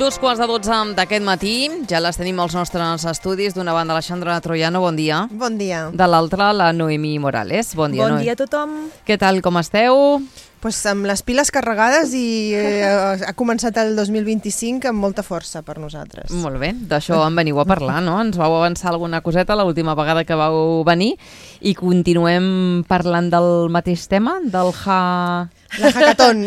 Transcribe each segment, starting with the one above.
11:45 d'aquest matí, ja les tenim als nostres estudis. D'una banda, Alexandra Troiano, bon dia. Bon dia. De l'altra, la Noemí Morales. Bon dia, Bon dia a tothom. Què tal, com esteu? Pues amb les piles carregades i ha començat el 2025 amb molta força per nosaltres. Molt bé, d'això en veniu a parlar, no? Ens vau avançar alguna coseta l'última vegada que vau venir i continuem parlant del mateix tema, del La hackathon.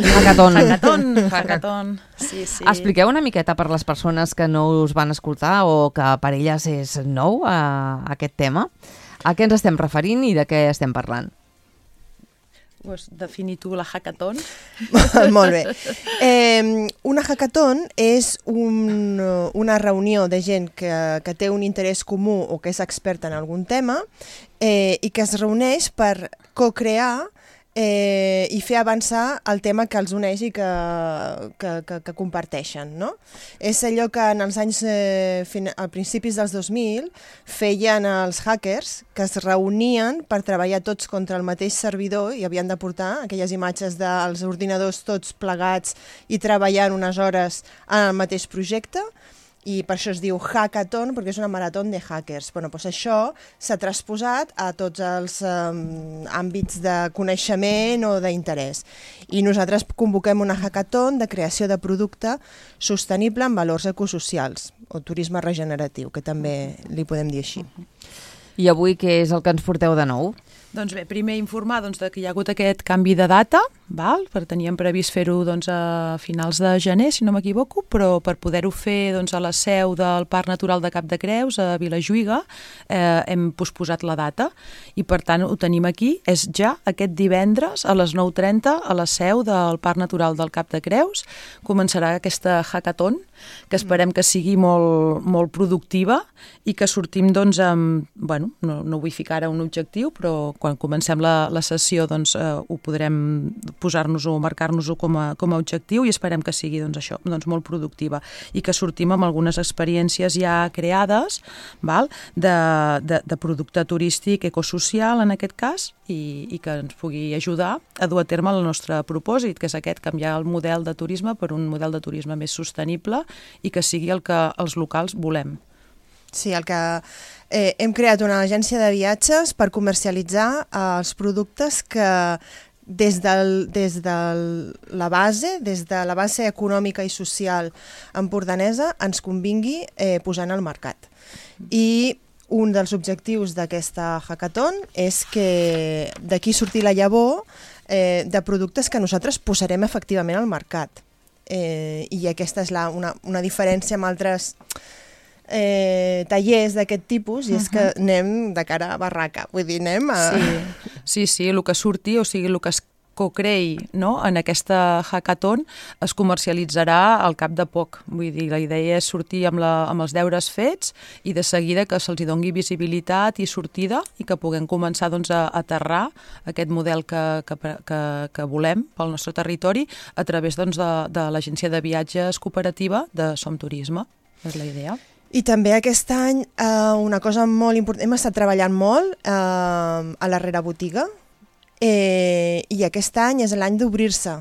Hackathon. Sí. Expliqueu una miqueta per les persones que no us van escoltar o que per elles és nou aquest tema. A què ens estem referint i de què estem parlant? Pues defini tu la hackathon. Molt bé. Una hackathon és una reunió de gent que té un interès comú o que és experta en algun tema i que es reuneix per co-crear i fer avançar el tema que els uneix i que comparteixen, no? És allò que en els anys, a principis dels 2000, feien els hackers, que es reunien per treballar tots contra el mateix servidor i havien de portar aquelles imatges dels ordinadors tots plegats i treballant unes hores en el mateix projecte. I per això es diu hackathon, perquè és una marató de hackers. Bueno, doncs això s'ha transposat a tots els àmbits de coneixement o d'interès. I nosaltres convoquem una hackathon de creació de producte sostenible amb valors ecosocials, o turisme regeneratiu, que també li podem dir així. I avui què és el que ens porteu de nou? Doncs bé, primer informar que hi ha hagut aquest canvi de data, teníem previst fer-ho a finals de gener, si no m'equivoco, però per poder-ho fer a la seu del Parc Natural de Cap de Creus, a Vilajuïga, hem posposat la data i per tant ho tenim aquí, és ja aquest divendres a les 9:30 a la seu del Parc Natural del Cap de Creus. Començarà aquesta hackathon, que esperem que sigui molt productiva i que sortim amb, no vull ficar ara un objectiu, però quan comencem la sessió ho podrem posar-nos-ho, marcar-nos-ho com a objectiu i esperem que sigui això, molt productiva i que sortim amb algunes experiències ja creades de producte turístic ecosocial en aquest cas i que ens pugui ajudar a dur a terme el nostre propòsit, que és aquest, canviar el model de turisme per un model de turisme més sostenible i que sigui el que els locals volem. Sí, hem creat una agència de viatges per comercialitzar els productes que des de la base econòmica i social empordanesa ens convingui posar al mercat. I un dels objectius d'aquesta hackathon és que d'aquí surti la llavor de productes que nosaltres posarem efectivament al mercat. I aquesta és una diferència amb altres tallers d'aquest tipus, i és que anem de cara a barraca, vull dir, anem a... Sí, el que surti, o sigui, el que es co-creï en aquesta hackathon es comercialitzarà al cap de poc. Vull dir, la idea és sortir amb els deures fets i de seguida que se'ls doni visibilitat i sortida i que puguem començar a aterrar aquest model que volem pel nostre territori a través de l'agència de viatges cooperativa de Som Turisme. És la idea. I també aquest any una cosa molt important, hem estat treballant molt a la rerebotiga i aquest any és l'any d'obrir-se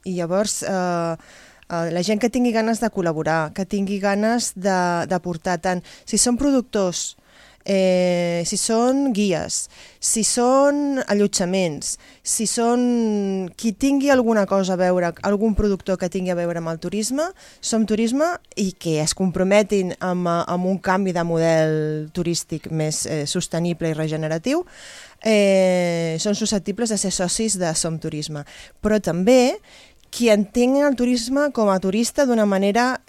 i llavors la gent que tingui ganes de col·laborar, que tingui ganes d'aportar tant, si són productors, si són guies, si són allotjaments, si són qui tingui alguna cosa a veure, algun productor que tingui a veure amb el turisme, Som Turisme, i que es comprometin amb un canvi de model turístic més sostenible i regeneratiu, són susceptibles de ser socis de Som Turisme. Però també qui entengui el turisme com a turista d'una manera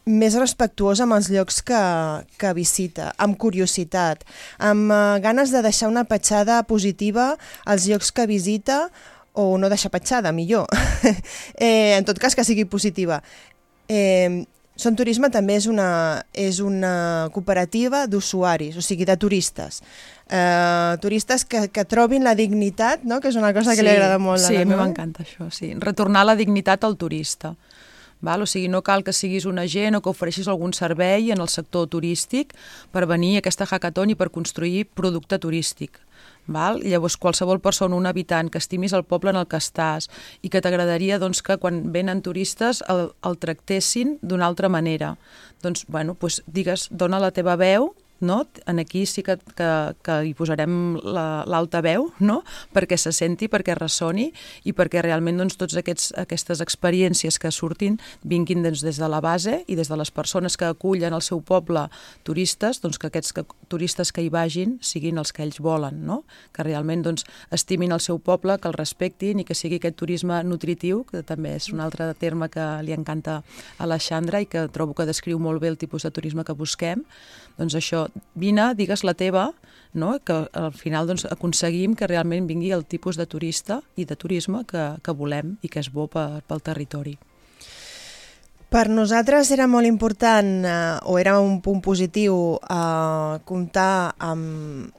més respectuosa amb els llocs que visita, amb curiositat, amb ganes de deixar una petjada positiva als llocs que visita, o no deixar petjada, millor. En tot cas, que sigui positiva. Som Turisme també és una cooperativa d'usuaris, o sigui, de turistes. Turistes que trobin la dignitat, no? Que és una cosa que li agrada molt a la Sí, a mi m'encanta això, sí. Retornar la dignitat al turista. val? O sigui, no cal que siguis un agent o que ofereixis algun servei en el sector turístic per venir a aquesta hackathon i per construir producte turístic. Val? Llavors, qualsevol persona, un habitant, que estimis el poble en el que estàs i que t'agradaria doncs, que quan venen turistes el tractessin d'una altra manera. Doncs, bueno, doncs, digues, dona la teva veu, no? En aquí sí que hi posarem l'altaveu, no? Perquè se senti, perquè ressoni i perquè realment doncs, totes aquestes experiències que surtin vinguin des de la base i des de les persones que acullen al seu poble turistes, doncs, que aquests turistes que hi vagin siguin els que ells volen, no? Que realment doncs, estimin el seu poble, que el respectin i que sigui aquest turisme nutritiu, que també és un altre terme que li encanta a la Xandra i que trobo que descriu molt bé el tipus de turisme que busquem. Doncs això, vine, digues la teva, no? Que al final doncs, aconseguim que realment vingui el tipus de turista i de turisme que volem i que és bo pel territori. Per nosaltres era molt important, o era un punt positiu, comptar amb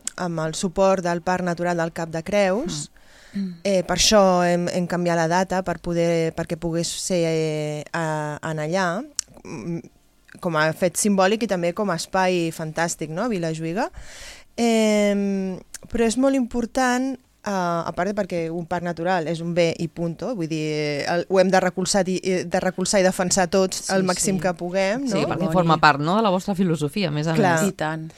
el suport del Parc Natural del Cap de Creus. Per això hem canviat la data perquè pogués ser en allà, com a fet simbòlic i també com a espai fantàstic, no?, Vilajuïga. Però és molt important, a part perquè un parc natural és un bé i punto, vull dir, ho hem de recolzar i defensar tots al màxim que puguem, no? Sí, perquè forma part, no?, de la vostra filosofia, a més a més. I tant.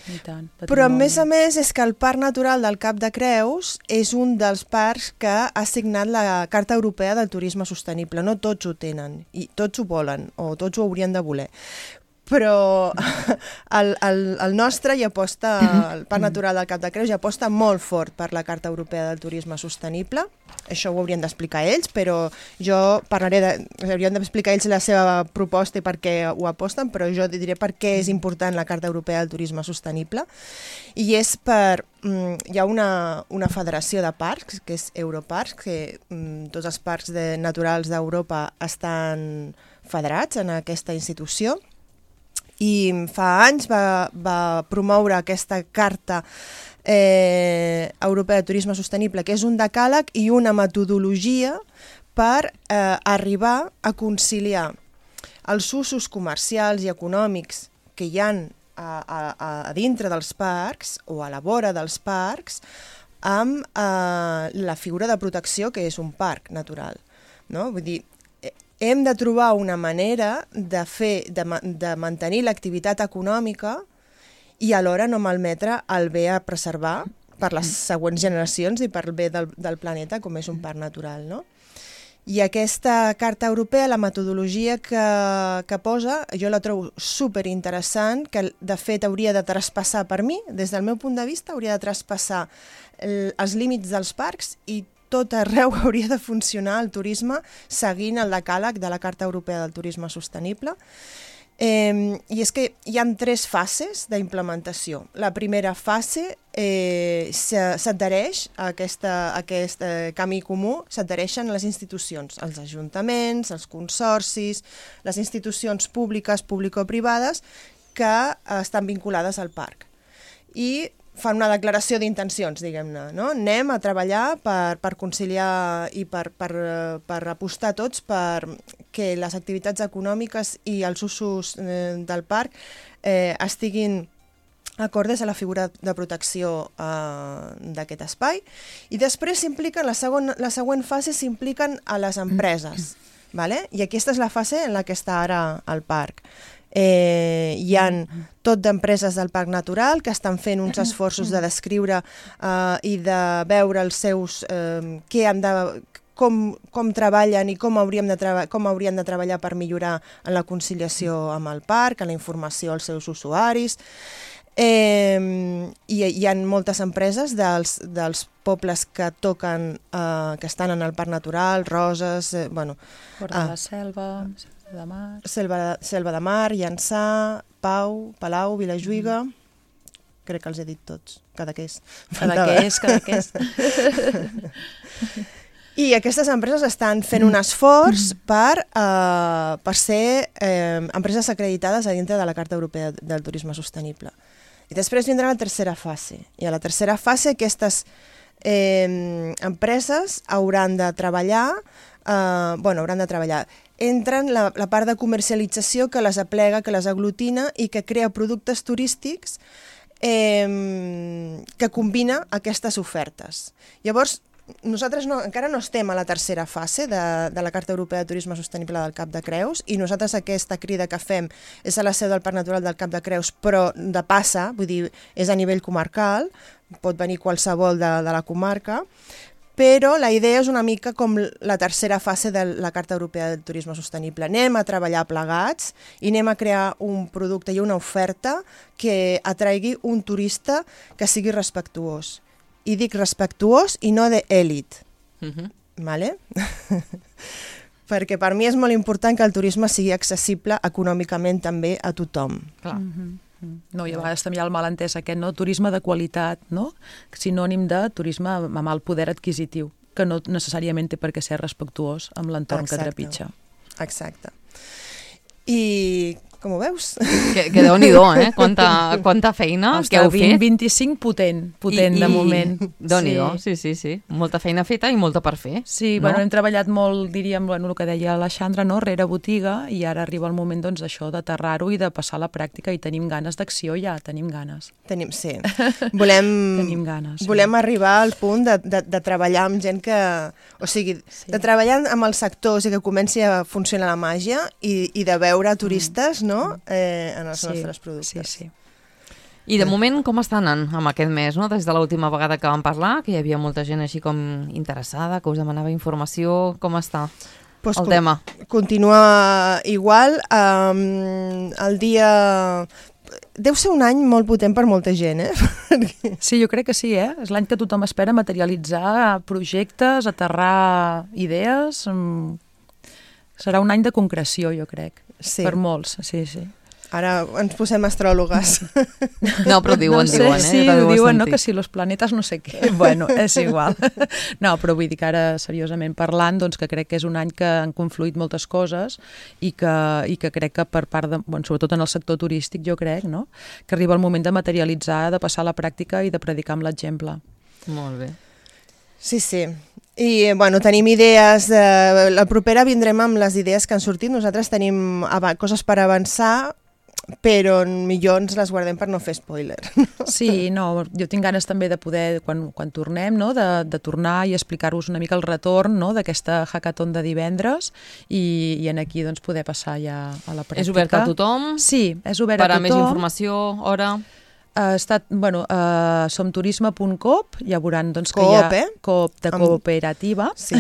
Però a més és que el Parc Natural del Cap de Creus és un dels parcs que ha signat la Carta Europea del Turisme Sostenible. No tots ho tenen, i tots ho volen, o tots ho haurien de voler. Però el nostre ja aposta, el Parc Natural del Cap de Creus ja aposta molt fort per la Carta Europea del Turisme Sostenible. Això ho haurien d'explicar ells, però jo haurien d'explicar ells la seva proposta i per què ho aposten, però jo diré per què és important la Carta Europea del Turisme Sostenible. I és hi ha una federació de parcs, que és Europarcs, que tots els parcs naturals d'Europa estan federats en aquesta institució. I fa anys va promoure aquesta Carta Europea de Turisme Sostenible, que és un decàleg i una metodologia per arribar a conciliar els usos comercials i econòmics que hi ha a dintre dels parcs o a la vora dels parcs amb la figura de protecció que és un parc natural, no? Vull dir, hem de trobar una manera de mantenir l'activitat econòmica i alhora no malmetre el bé a preservar per les següents generacions i per el bé del planeta, com és un parc natural, no? I aquesta Carta Europea, la metodologia que posa, jo la trobo superinteressant, que de fet hauria de traspassar, per mi, des del meu punt de vista, hauria de traspassar els límits dels parcs i tot arreu hauria de funcionar el turisme seguint el decàleg de la Carta Europea del Turisme Sostenible. I és que hi ha 3 fases d'implementació. La primera fase s'adhereix a aquest camí comú, s'adhereixen les institucions, els ajuntaments, els consorcis, les institucions públiques, público-privades, que estan vinculades al parc. I fan una declaració d'intencions, diguem-ne, no? Anem a treballar per conciliar i per apostar tots per que les activitats econòmiques i els usos del parc estiguin acordes a la figura de protecció d'aquest espai. I després s'impliquen, la següent fase s'impliquen a les empreses, vale? I aquesta és la fase en la que està ara el parc. Hi ha tot d'empreses del Parc Natural que estan fent uns esforços de descriure i de veure els seus com treballen i com haurien de treballar per millorar en la conciliació amb el parc, en la informació als seus usuaris. I hi ha moltes empreses dels pobles que toquen, que estan en el Parc Natural, Roses, Port de la Selva, de Mar. Selva de Mar, Llançà, Pau, Palau, Vilajuïga. Crec que els he dit tots. Cadaqués. I aquestes empreses estan fent un esforç per ser empreses acreditades a dintre de la Carta Europea del Turisme Sostenible. I després vindrà la tercera fase. I a la tercera fase aquestes empreses hauran de treballar entren la part de comercialització que les aplega, que les aglutina i que crea productes turístics que combina aquestes ofertes. Llavors, nosaltres encara no estem a la tercera fase de la Carta Europea de Turisme Sostenible del Cap de Creus i nosaltres aquesta crida que fem és a la seu del Parc Natural del Cap de Creus, però de passa, vull dir, és a nivell comarcal, pot venir qualsevol de la comarca, però la idea és una mica com la tercera fase de la Carta Europea de Turisme Sostenible. Anem a treballar plegats i anem a crear un producte i una oferta que atraigui un turista que sigui respectuós. I dic respectuós i no d'èlit. Vale? Perquè per mi és molt important que el turisme sigui accessible econòmicament també a tothom. Clar. No, i a vegades també hi ha el malentès aquest, no? Turisme de qualitat, no? Sinònim de turisme amb alt poder adquisitiu, que no necessàriament té per què ser respectuós amb l'entorn que trepitja. Exacte. I com ho veus? Que Déu-n'hi-do, quanta feina que heu fet. 25 potent de moment. Déu-n'hi-do, sí. Molta feina feta i molta per fer. Sí, bueno, hem treballat molt, diríem, el que deia l'Alexandra, no? Rere botiga, i ara arriba el moment d'això, d'aterrar-ho i de passar a la pràctica, i tenim ganes d'acció ja, tenim ganes. Sí. Volem arribar al punt de treballar amb gent que... O sigui, de treballar amb el sector, o sigui, que comenci a funcionar la màgia i de veure turistes, no?, en els nostres productes. Sí. I de moment com està anant amb aquest mes, no? Des de l'última vegada que vam parlar, que hi havia molta gent així com interessada, que us demanava informació, com està el tema? Continua igual. El dia... Deu ser un any molt potent per molta gent, Sí, jo crec que sí, És l'any que tothom espera materialitzar projectes, aterrar idees. Serà un any de concreció, jo crec. Sí. Per molts, sí. Ara ens posem astròlogues. No, però diuen, Sí, diuen, no? Que si los planetes no sé què. Bueno, és igual. No, però vull dir que ara, seriosament parlant, doncs que crec que és un any que han confluït moltes coses i que crec que per part de, sobretot en el sector turístic, jo crec, no?, que arriba el moment de materialitzar, de passar a la pràctica i de predicar amb l'exemple. Molt bé. Sí. I, tenim idees... La propera vindrem amb les idees que han sortit. Nosaltres tenim coses per avançar, però millor ens les guardem per no fer spoiler. Sí, no, jo tinc ganes també de poder, quan tornem, no?, de tornar i explicar-vos una mica el retorn, no?, d'aquesta hackathon de divendres i en aquí doncs, poder passar ja a la pràctica. És obert a tothom? Sí, és obert a tothom. Per a més informació, hora... Som turisme.coop, ja veuran doncs, que Coop, hi ha Coop de cooperativa. Sí.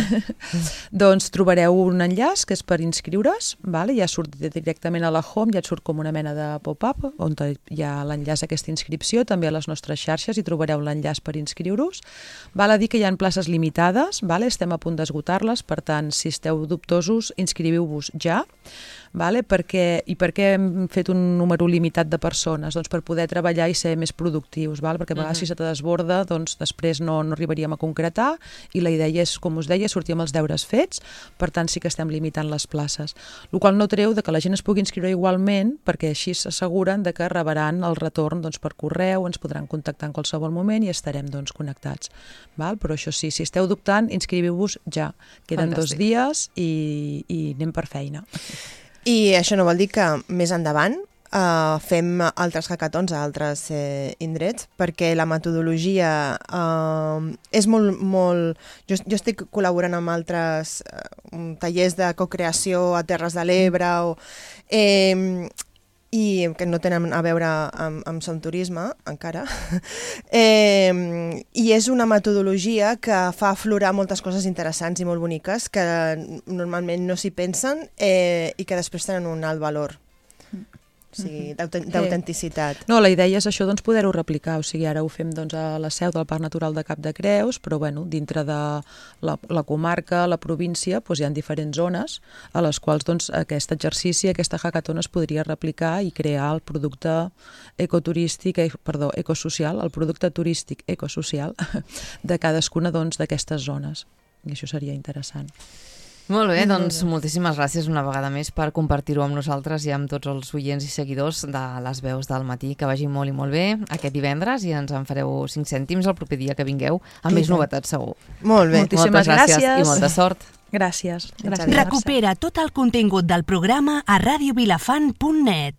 Doncs trobareu un enllaç que és per inscriure's, ja surt directament a la home, ja et surt com una mena de pop-up on hi ha l'enllaç a aquesta inscripció, també a les nostres xarxes hi trobareu l'enllaç per inscriure-us. Val a dir que hi ha places limitades, estem a punt d'esgotar-les, per tant, si esteu dubtosos, inscriviu-vos ja. Per què hem fet un número limitat de persones? Doncs per poder treballar i ser més productius, perquè a vegades si se te desborda, doncs després no arribaríem a concretar i la idea és, com us deia, sortir amb els deures fets, per tant sí que estem limitant les places. El qual no treu que la gent es pugui inscriure igualment, perquè així s'asseguren que rebran el retorn per correu, ens podran contactar en qualsevol moment i estarem connectats. Però això sí, si esteu dubtant, inscriviu-vos ja. Queden 2 dies i anem per feina. I això no vol dir que més endavant fem altres hackathons a altres indrets, perquè la metodologia és molt... Jo estic col·laborant amb altres tallers de cocreació a Terres de l'Ebre i que no tenen a veure amb Som Turisme, encara. I és una metodologia que fa aflorar moltes coses interessants i molt boniques que normalment no s'hi pensen i que després tenen un alt valor. O sigui, d'autenticitat. No, la idea és això, poder-ho replicar. O sigui, ara ho fem a la seu del Parc Natural de Cap de Creus, però dintre de la comarca, la província, hi ha diferents zones a les quals aquest exercici, aquesta hackathon es podria replicar i crear el producte ecosocial, el producte turístic ecosocial de cadascuna d'aquestes zones. I això seria interessant. Molt bé, doncs moltíssimes gràcies una vegada més per compartir-ho amb nosaltres i amb tots els oients i seguidors de les veus del matí. Que vagi molt i molt bé aquest divendres i ens en fareu 5 cèntims el proper dia que vingueu amb més novetats segur. Molt bé. Moltes gràcies i molta sort. Gràcies. Fins Gràcies. Recupera tot el contingut del programa a radiovilafant.net.